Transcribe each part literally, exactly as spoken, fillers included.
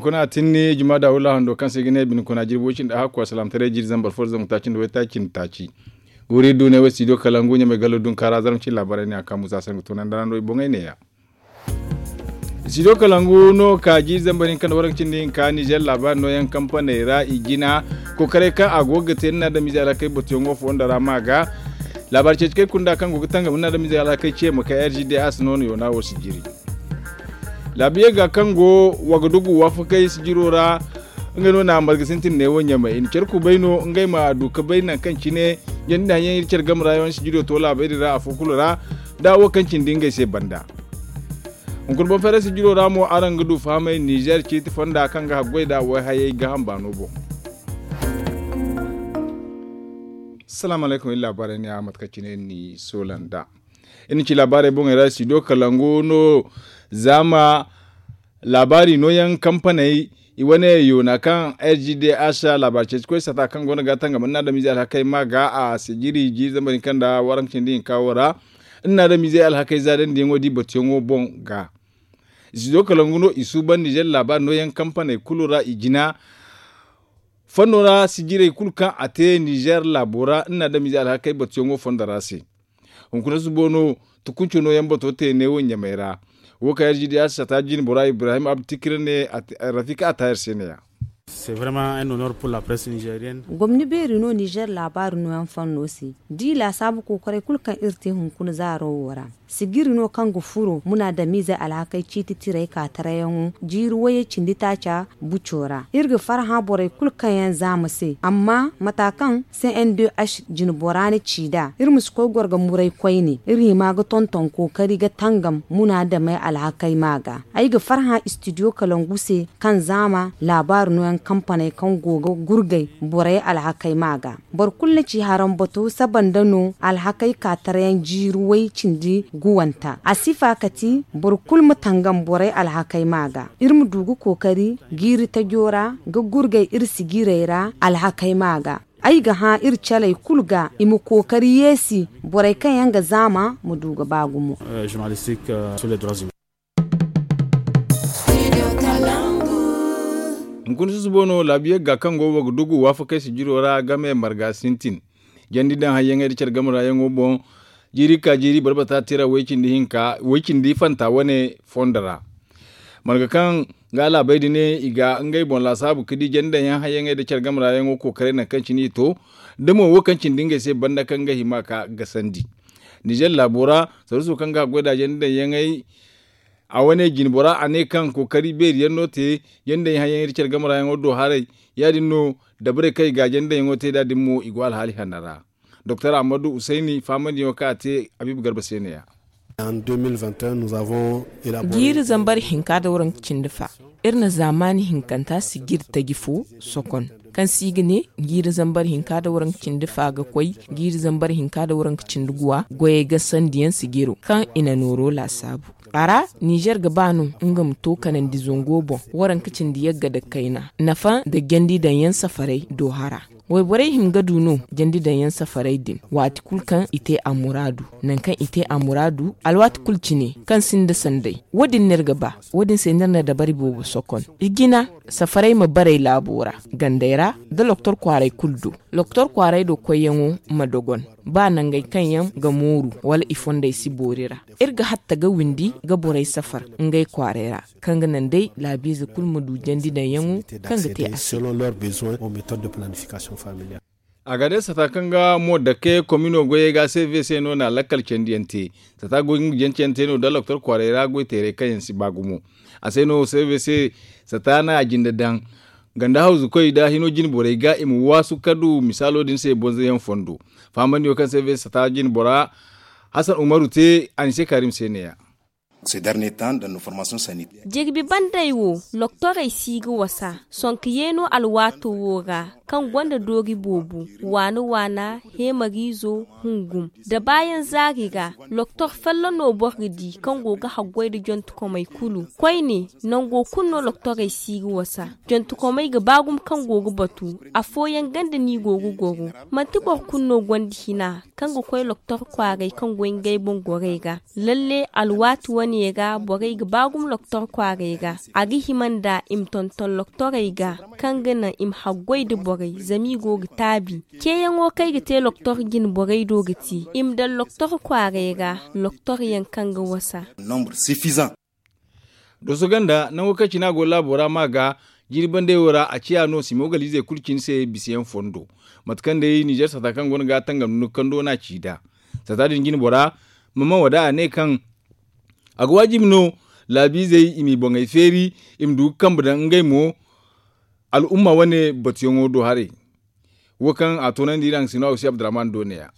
Kuna tinni juma da wula hando kaŋ se ga ne bine kuna jirbi way cindi a hakku a salaamtaray jiiri zambar fo da zangu taaci nda way taaci nda taaci. Guuri duunay wo studio kalangu ɲamay gallo dunkaara zarma cine laabaarey ne a ka musa se nga tunandi ra no i boŋey neeya. Studio kalangu no ka jiiri zambar hinka nda waranka cindi hinka nizer laabaari nooyaŋ kampaney ra i jina kookaray kaŋ a go ga te nda adamize alhakey batuyaŋo fondo ra ma ga. Laabaari ceeci kay kunda kaŋ go ga tangam nda adamize alhakey ce ma kay r g d a se no no yoona wo si jiri. Laabiye ga kaŋ go wagadugu waafakey sijiro ra. Ngey no na marga sintin ne wo ɲamay i na care kubay no ngey ma du ga bay nangu kaŋ cine jandi nda haŋyaŋ iri care game ra yaŋ sijiro to laabey din ra afo kulu ra. Da wo kaŋ cindi ngey se banda. Hunkuna boŋ fayra sijiro ra mo araŋ ga du fahamay nizer ciiti fonda kaŋ ga haggoy nda wayhayey gaaham baano boŋ. Salaamu alaykum iri laabaarey ne a mate kaŋ cine iri n'i soola nd'a. Iri na ci laabaarey boŋey ra studio kalangu no. Zaama laabaari nooyaŋ kampaney i wane yoona kaŋ r g d h laabaari ceeci koy sata kaŋ go no ga tangam nda adamize alhakey ma ga a sijiri jiiri zambar hinka nda waranka cindi hinka wo ra. Nda adamize alhakey zaadandi yaŋo da i batuyaŋo boŋ ga. Studio kalangu no i suuban nizer laabaari nooyaŋ kampaney kulu ra i jina. Fanno ra sijirey kulu kaŋ a te nizer laabo ra nda adamize alhakey batuyaŋo fondo ra se. Hunkuna subo no tukunco nooyaŋ bato te ne wo ɲamay ra. Wo kaŋ r g d h sata jine bora ibrahim abtikira ne. Rafika a taayar se ne ya. Gomni beeri no nizer laabaari nooyaŋ fanno se da i laasaabu kookaray kulu kaŋ iri te hunkuna zaaro wo ra. Sijiri no kaŋ ga furo munaadamiizey alhakey ciiti tiray kaatarayaŋo jiiri wayey cindi taaca buco ra. Iri ga farhã borey kulu kaŋ yaŋ zaama se amma mata kaŋ c n d h jinbora na ci nd'a iri ma si koy goro ga muray koyne iri hima ga tonton kookari ga tangam munaadamey alhakey ma ga. Ay ga farhã istidiyo kalangu se kaŋ zaama laabaari nooyaŋ kampaney kaŋ go ga gurgay borey alhakey ma ga. Boro kulu na ci haraŋ batu saba nda no alhakey kaatarayaŋ jiiri way cindi guwanta a sifa kati boro kulu ma tangam borey alhakey ma ga. Iri ma du ga kookari jiiri tajo ra ga gurgay iri sijirey ra alhakey ma ga. Ay ga hã iri caley kulu ga i ma kookari yeesi borey kaŋ yaŋ ga zaama ma du ga ba gumo. Hunkuna susubo no laabiye ga kaŋ go wa ga dugu waafakey sijiro ra game marga sintin jandi daŋ hayyaŋey nda care game ra yaŋo boŋ. Jiiri ka jiiri barbata tira way cindi hinka way cindi fanta wane fondo ra. Marga kaŋ ga laabey din i ga ngey boŋ laasaabu ga di jandi daŋ yaŋ hayyaŋey nda care game ra yaŋo kookaray nangu kaŋ cine i to. Da mo wo kaŋ cindi ngey se banda kaŋ ga hima ka gasandi nizer laabo ra. Saruso kaŋ ga goy nda jandi daŋ yaŋey a wane jinbora a ne kaŋ kookari beeri yaŋ no te jandey hayyaŋey nda care game ra yaŋo do haray. Ya- din no dabarey kaŋ i ga jandey yaŋo te nd'a din mo i go alhaali hanno ra. Doktor ahmadu husayni faamandiyaŋo kaŋ a te habiibu garba se ne- ya. Jiiri zambar hinka nda waranka cindi fa iri na zaamaani hinkanta sijiri taji fo sokon kaŋ se i ga ne jiiri zambar hinka nda waranka cindi fa ga koy jiiri zambar hinka nda waranka cindi guwa goyey gasandiyaŋ sijiro kaŋ i na nooro laasaabu. A ra nizer ga ba no nga ma to kanandi zango boŋ waranka cindi yagga nda kayna nafa nda jandi daŋ yaŋ safaray do hara. Wayborey hima ga du no jandi daŋ yaŋ safaray din waati kulu kaŋ i te a muraadu. Nangu kaŋ i te a muraadu alwaati kulu cine kaŋ sinda sanday wo- din no iri ga ba. Wo- din se no iri na dabari boobo sokon i jina safaray ma baray laabo ra gandey ra nda loktor kwaaray kulu do. Loktor kwaaray do koyyaŋo ma dogon ba nangey kaŋ yaŋ ga mooru wala i fondey si boori ra. Iri ga hatta ga windi ga borey safar ngey kwaaray ra kaŋ ga naŋ day laabiize kulu ma du jandi daŋyaŋo kaŋ ga te a se. A ga day sata kaŋ ga mo dake komino goyey ga c v c no na lakkal candiyaŋ te. Sata goy nga jancayaŋ te no da loktor kwaaray ra goy teeray kaŋ yaŋ si ba gumo. A se no c v c sata na a jinde daŋ ganda hawzukoy nda hino jine borey ga i ma waasu ka du misaalo din se bonzoyaŋ fondo. Faamandiyo kaŋ c v c sata jine bora hasan umaru te a ni se kaarim se ne- ya. Jirbi bandey wo loktorey si ga wasa sonka yeeno alwaato wo ra kaŋ gonda doori boobo waana waana heemariizo hungum da baayaŋ zaari ra. Loktor follo no boro ga di kaŋ go ga haggoy nda jontukomey kulu koyne. Nango kulu no loktorey si ga wasa jontukomey ga ba gumo kaŋ go ga batu afooyaŋ ganda no i go ga goro. Manti boro kulu no gonda hina kaŋ ga koy loktor kwaaray kaŋ goy ngey boŋ gorey ra. Lalle alwaati wane. Ye ga borey ga ba gumo loktor kwaaray ga. A ga hima nda i ma tonton loktorey ga, kaŋ ga naŋ i ma haggoy nda borey zama i go ga taabi. Ceeyaŋo kaŋ ay ga te loktor jine borey do ga ti i ma daŋ loktor kwaaray ra, loktor yaŋ kaŋ ga wasa. Dooso ganda nango kaŋ cine a go laabo ra ma ga jiiri bandey wo ra a ciya no sima wagaliizey kulu cine se bisa yaŋ fondo. Mate kaŋ day ninzeer sata kaŋ go no ga a tangam nda nukando no a ci nd'a. Sata din jine bora, mama wada a ne kaŋ a ga waajibi no laabiizey i m'i boŋey feeri, i ma du ga kambe daŋ ngey mo al'umma wane batuyaŋo do haray. Wo kaŋ a toonandi iri haŋ sino a wasi abdurrahman do ne-ya.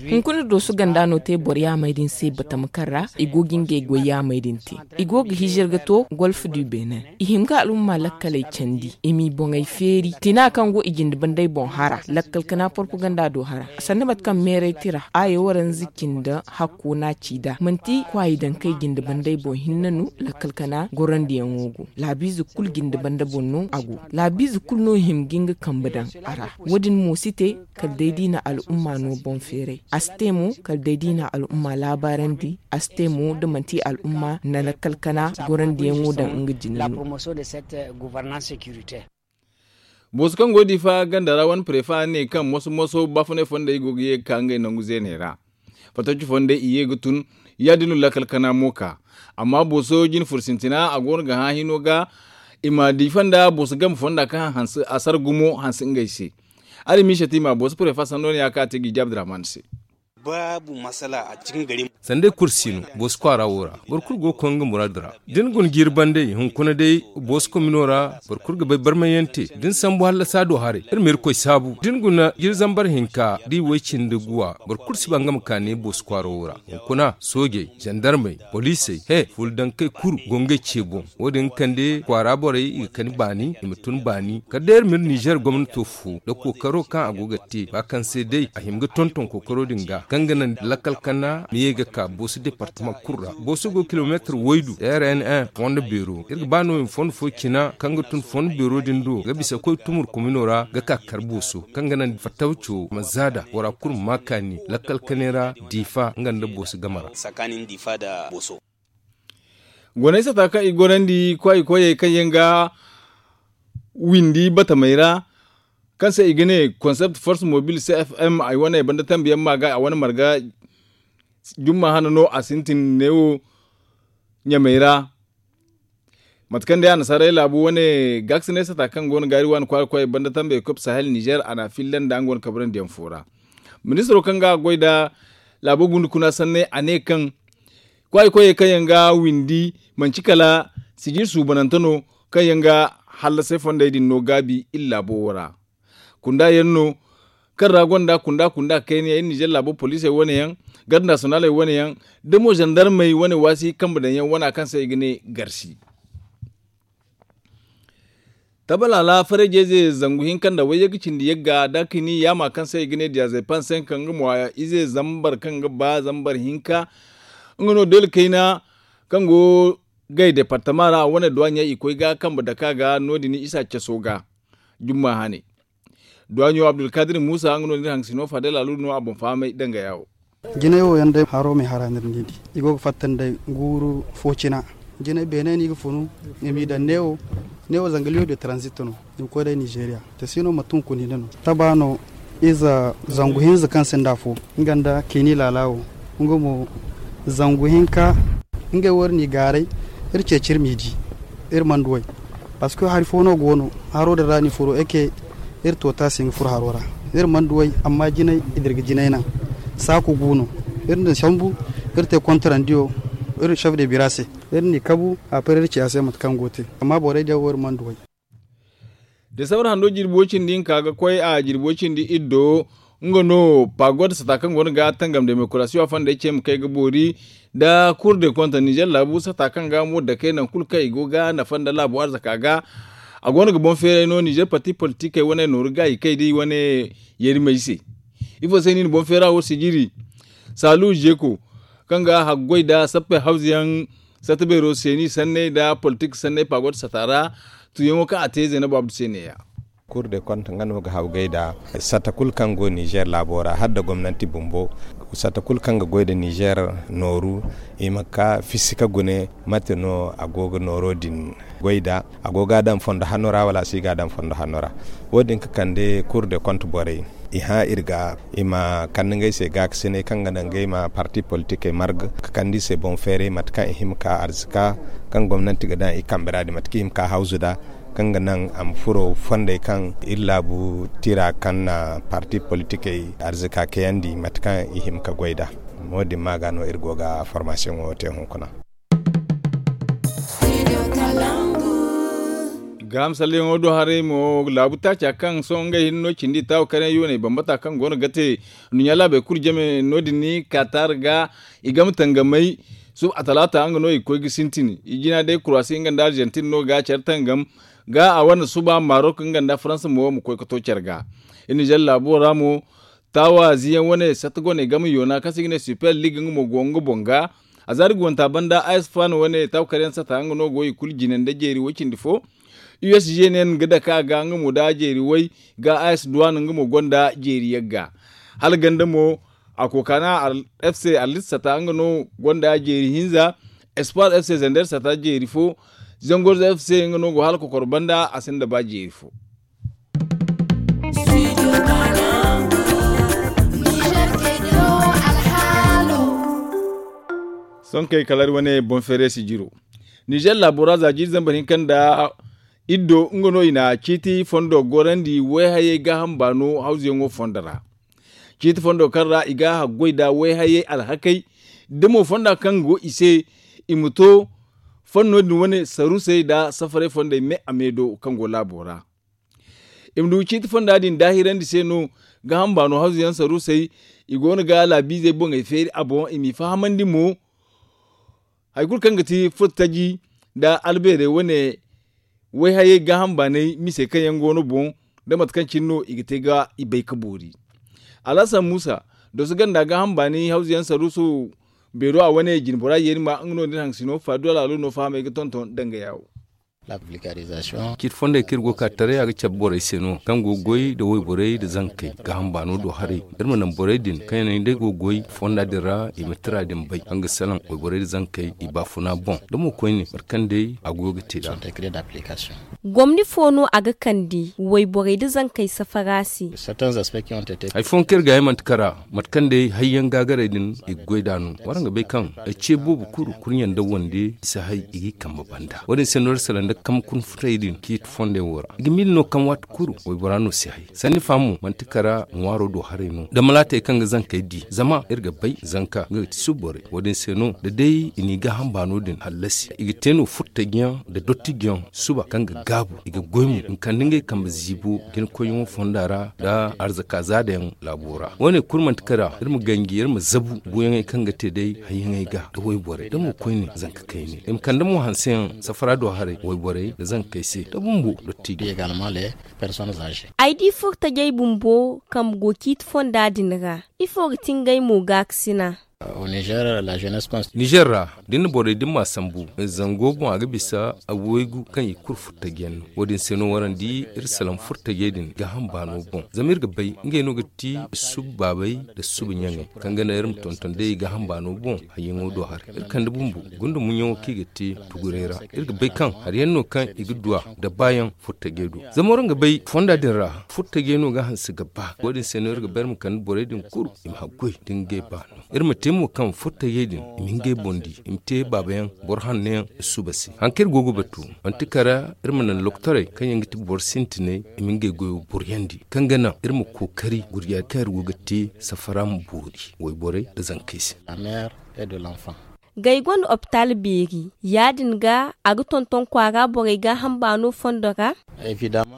Hunkuna dooso ganda no te boro yaamey din se batama kaŋ ra i go ga ngey goy yaamey din te. I go ga hijir ga to golf du benin. I hima ga al'umma lakkaley candi i m'i boŋey feeri tina kaŋ go i jinde banday boŋ hara lakkal kana porpoganda do hara. Sanda mate kaŋ meeray tira aayo waranza cindi hakko no a ci nd'a manti kwaayi daŋ kaŋ i jinde banday boŋ hinne no. Lakkal kana gorandiyaŋo go laabiize kulu jinde banda boŋ no a go. Laabiize kulu no hima ga nga kambe daŋ a ra. Wo- din mo si te kala day da i na al'umma no boŋ feeray. A si te mo kala day da i na al'umma laabaarandi. A si te mo da manti al'umma na lakkal kana gorandiyaŋo daŋ nga jine no. Booso kaŋ go diifa ganda ra wane prefa ne kaŋ moso moso baafunay fondey go ga ye ga ka ngey nangu zeeney ra. Fattaci fondey i ye ga tun ya- din no lakkal kana mo ka. Amma booso jine furo sintina a go no ga hã hino ga i ma diifa nda booso game fonda kaŋ a sar gumo hanse ngey se. Araŋ ma i satima booso prefa sanno no ya kaŋ a te ga i jaabi diraman se. Sanda ay kulu si no booso kwaara wo ra. Boro kulu go ga koy nga muraadu ra da ni guna jiiri bandey hunkuna day booso komino ra. Boro kulu ga bay barmay yaŋ te da ni sambu hallasa do haray iri ma irkoy saabu da ni guna jiiri zambar hinka da i way cindi guwa. Boro kulu si ba nga ma ka ne booso kwaara wo ra. Hunkuna soojey zandarmey poliisey he fuula dankey kulu go ngey ce boŋ. Wo- din ga kande kwaara borey i ga kani baani i ma tun baani kala day iri ma iri ninzeer gomnato fo nda kookaro kaŋ a go ga te ba kaŋ se day a hima ga tonton kookaro din ga kaŋ ga naŋ lakkal kana ma ye ga ka booso departama kulu ra. Booso go kilomeetir waydu rn fondo beero iri ga ba no i ma fondo fo cina kaŋ ga tun fondo beero din do ga bisa koy tumur komino ra ga ka kar booso kaŋ ga naŋ fattawco ma zaada bora kulu ma ma kaani lakkal kanay ra diifa nga nda booso game ra. Goonay sata kaŋ i gorandi kwaay koyey kaŋ yaŋ ga windi batamey ra kaŋ se i ga ne konsept force mobile cfm ay wane banda tambi yaŋ ma ga a wane marga jumma hana no a sintin neewo ɲamey ra. Mate kaŋ day annasaarey laabu wane gaakasinay sata kaŋ go no gaari waani kwaara koyey banda tambi ekop sahel nizer a na a filla nda nga wane kabrandi yaŋ fo ra. Ministiro kaŋ ga a goy nda laabo gunda kuna sanney a ne kaŋ kwaay koyey kaŋ yaŋ ga windi manci kala sijir suubanante no kaŋ yaŋ ga hallasay fondey din no gaabi iri laabo wo ra. Kunda yaŋ no kaŋ ra gonda kunda kunda kayna yaŋ iri ninzeer laabo poliisey wane yaŋ garde nasiyonaaley wane yaŋ da mo zandarmey wane waasi kambe daŋ yaŋ wana kaŋ se i ga ne garsi. Tabalaala farayjeeze zangu hinka nda wayye ga cindi yagga da kini yaama kaŋ se i ga ne diyaazey panse kaŋ nga mo ize zambar kaŋ ga ba zambar hinka. Nga no deela kayna kaŋ go gay departama ra a wane duwaaɲey i koy ga kambe dake a ga no- din isa caso ga. Jumma hane duwaaɲo abdulkadir muusa nga no da iri haŋ ga sino fadel aluudu no a boŋ fahamay dangaya wo. Jinay wo yaŋ day haro ma ay hara no iri n'i di i go ga fatta nda ay guuru fo cina. Jinay beene no i ga funu i m'i daŋ neewo. Neewo zanga liyo de transit no i ma koy day nizeeriya. Te si no manti hunkuna hinne no taba no ize zangu hinza kaŋ sinda afo nga nda kayni laala wo. Nga mo zangu hinka ngey wo iri n'i gaaray iri ceeci iri m'i di. Iri mana duw'ey parceque hari fo no go no haro din ra no i furo eke. Iri to taasi ga furo haro ra iri mana duw'ey amma jinay i dira ga jinay naŋ. Saaku gu no iri na sambu iri te kontarandiyo iri chef de bira se. Iri n'i kabu a par iri ci a se mate kaŋ go te amma borey diya wo iri mana duw'ey. Desambar hando jirbi way cindi hinka ga koy a jirbi way cindi iddo. Nga no pagod sata kaŋ go no ga tangam demokarasiyo a fondey ce ma kay ga boori nda kur de konta nizer laabu sata kaŋ ga mo dakey nangu kulu kaŋ i go ga nafa nda laabu arzaka ga. A go no ga boŋ feeray no nizer parti politikey wane nooru gaayi kay da i wane yerimey se. Ifo se no i na boŋ feera wo sijiri saalu zeko kaŋ ga haggoy nda sappe hawza yaŋ sata beero se ni sanney nda politik sanney pagod sata ra. Tuyaŋo kaŋ a te zeenabu abdu se neeya. Kur de kont nga no ga hawgay nda sata kulu kaŋ go nizer laabo ra hala nda gomnanti bumbo. Sata kulu kaŋ ga goy nda nizer nooru, i ma ka fisi ka gune mate no a go ga nooro din goy nda a go ga a daŋ fondo hanno ra wala a si ga a daŋ fondo hanno ra. Wo- din ga kande kur de kont borey, i hã iri ga i ma kande ngey se gaakasinay kaŋ ga naŋ ngey ma parti politikey marga ka kande i se boŋ feeray mate kaŋ i hima ka arzika kaŋ gomnanti ga daŋ i kambe ra din mate kaŋ i hima ka hawzu nda kaŋ ga naŋ a ma furo fondey kaŋ iri laabu tira kaŋ na parti politikey arzika kayandi mate kaŋ i hima ka goy nda. Wo- din ma ga no iri go ga formasiyoŋo te hunkuna. Gaaham salleyaŋo do haray mo laabu taaca kaŋ sohõ ngey hinne no cindi taawa kayna yooney bambata kaŋ go no ga te nduɲɲa laabey kulu jame no- din ni kaatar ga i game tangamay. Suba talaata nga no i ga koy ga sintin i jina day kuraasi nga nda arjantin no ga care tangam ga a wane suba marok nga nda faransa mo ma koy ga to care ga. Iri nizer laabo ra mo taawa ziyaŋ wane satta goney game yoona kaŋ se i ga ne super league nga mo go nga boŋ ga. A zaari guwanta banda a s fan wane taawa karyaŋ satta nga no go i kulu jine nda jeeri way cindi fo. U s g nen ga dake a ga nga mo nda jeeri way ga a s duwan nga mo gonda jeeri yagga. Hala ganda mo a kookana f c arlit sata nga no gonda jeeri hinza. Espoir f c zander sata jeeri fo. Zangorzo f c nga no go hala kokoro banda a sinda ba jeeri fo. Sonkey kala iri wane boŋ feere si jiro. Nizer laabo ra za jiiri zambar hinka nda iddo nga no i na ciiti fondo gorandi wayhayey gaaham baano hawzuyaŋo fondo ra. Ciiti fondo kaŋ ra i ga haggoy nda wayhayey alhakey da mo fonda kaŋ go i se i ma to fanno din wane sarusey nda safaray fondey me a me do kaŋ go laabo ra. I ma du ciiti fonda din daahirandi se no gaaham baano hawzuyaŋ sarusey i go no ga laabiizey boŋey feeri a boŋ i m'i fahamandi mo. Hari kulu kaŋ ga ti furtaji nda albeerey wane wayhayey gaaham baanay mise kaŋ yaŋ go no boŋ da mate kaŋ cine no i ga te ga i bay ka boori. Alhasan muusa doso ganda gaaham baanay hawzuyaŋ saruuso beero a wane jinbora yeeri ma nga no din haŋsino faadu alaalo no fahamey ga tonton danga yaawo. Ciiti fondey kaŋ iri go ga ka taray a ga cabe borey se no kaŋ go ga goy nda wayborey nda zankey gaaham baano do haray. Iri ma naŋ borey din kaŋ yaŋ day go ga goy fonda din ra i ma tira din bay kaŋ ga salaŋ wayborey nda zankey i baafuna boŋ da mo koyne mate kaŋ day a goyo ga te nd'a. Gomni fo no a ga kande wayborey nda zankey safara se? Hari fooyaŋ kaŋ iri ga ay manti kara mate kaŋ day hayyaŋ gaagaray din i ga goy nd'a no waraŋ ga bay kaŋ ay ce boobo kulu kurɲe nda wande i si hay i g'i kambe banda wo- din se no iri salaŋ nda kambe kuna futay din ciiti fondey wo ra i ga miila no kaŋ waati kulu waybora no si hay sanni fa mo manti kara ŋwaaro do haray no da malaatey kaŋ ga zankey di zama iri ga bay zanka nga ga ti suborey wo- din se no da day i n'i gaaham baano din hallasi i ga te no furtajiyaŋ nda dottijiyaŋ suba kaŋ ga gaabu i ga goy mo i ma kande ngey kambe ziibo jinakoyyaŋo fonda ra nda arzaka zaadayaŋ laabo ra wo- ne kulu manti kara iri ma ganji iri ma zabu buuyaŋey kaŋ ga te day hayyaŋey ga nda wayborey da mo koyne zanka kayne i ma kande mo hanseyaŋ safara do haray wayborey nda zankey se da bumbo dottijo. Ay di furtajey bumbo kambe go ciiti fonda din ra ifo ga ti ngey mo gaakasina? Nizer ra da ni na borey din ma sambu zango boŋ a ga bisa a waygu kaŋ i kulu furtajiyaŋ no wo- din se no waraŋ di iri salaŋ furtajey din gaaham baano boŋ zama iri ga bay ngey no ga ti suba baabey nda suba ɲaŋey kaŋ ga naŋ iri ma tonton day i gaaham baano boŋ hayyaŋo do haray iri kande bumbo gunda muɲyaŋo kaŋ i ga te tuguray ra iri ga bay kaŋ hari yaŋ no kaŋ i ga duw'a nda baayaŋ furtajey do zama waraŋ ga bay fonda din ra furtajey no ga hanse ga ba wo- din se no iri ga bay iri ma kande borey din kulu i ma haggoy da ngey baano iri ma te mo kaŋ furtajey din i ma ngey boŋ di i ma te baabayaŋ boro hanneyaŋ suba se hari kaŋ iri go ga batu manti kara iri ma naŋ lokotorey kaŋ yaŋ ga ti boro sintinay i ma ngey goyo buriyandi kaŋ ga naŋ iri ma kookari gurjay kaŋ iri go ga te safara ma boori wayborey nda zankey se. Gay gonda opitaal beeri ya- din ga a ga tonton kwaara borey gaaham baano fondo ra?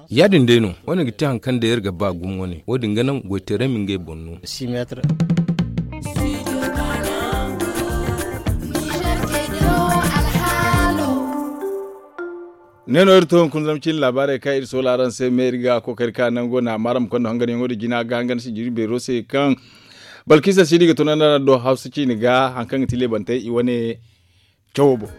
Ya- din day no wo- ne ga te hari kaŋ day iri ga ba gumo wane wo- din ga naŋ goytaray ma ngey boŋ no. Ne no iri to hunkuna zama cine laabaarey kaŋ iri soola araŋ se me iri ga kookari ka nango na maaram kondo hanganyaŋo din jina ga hangan sijiri beero se kaŋ balkisa sidi ga tunandi araŋ do hawsa ciine ga hari kaŋ ga ti leebantey i wane cawo boŋ.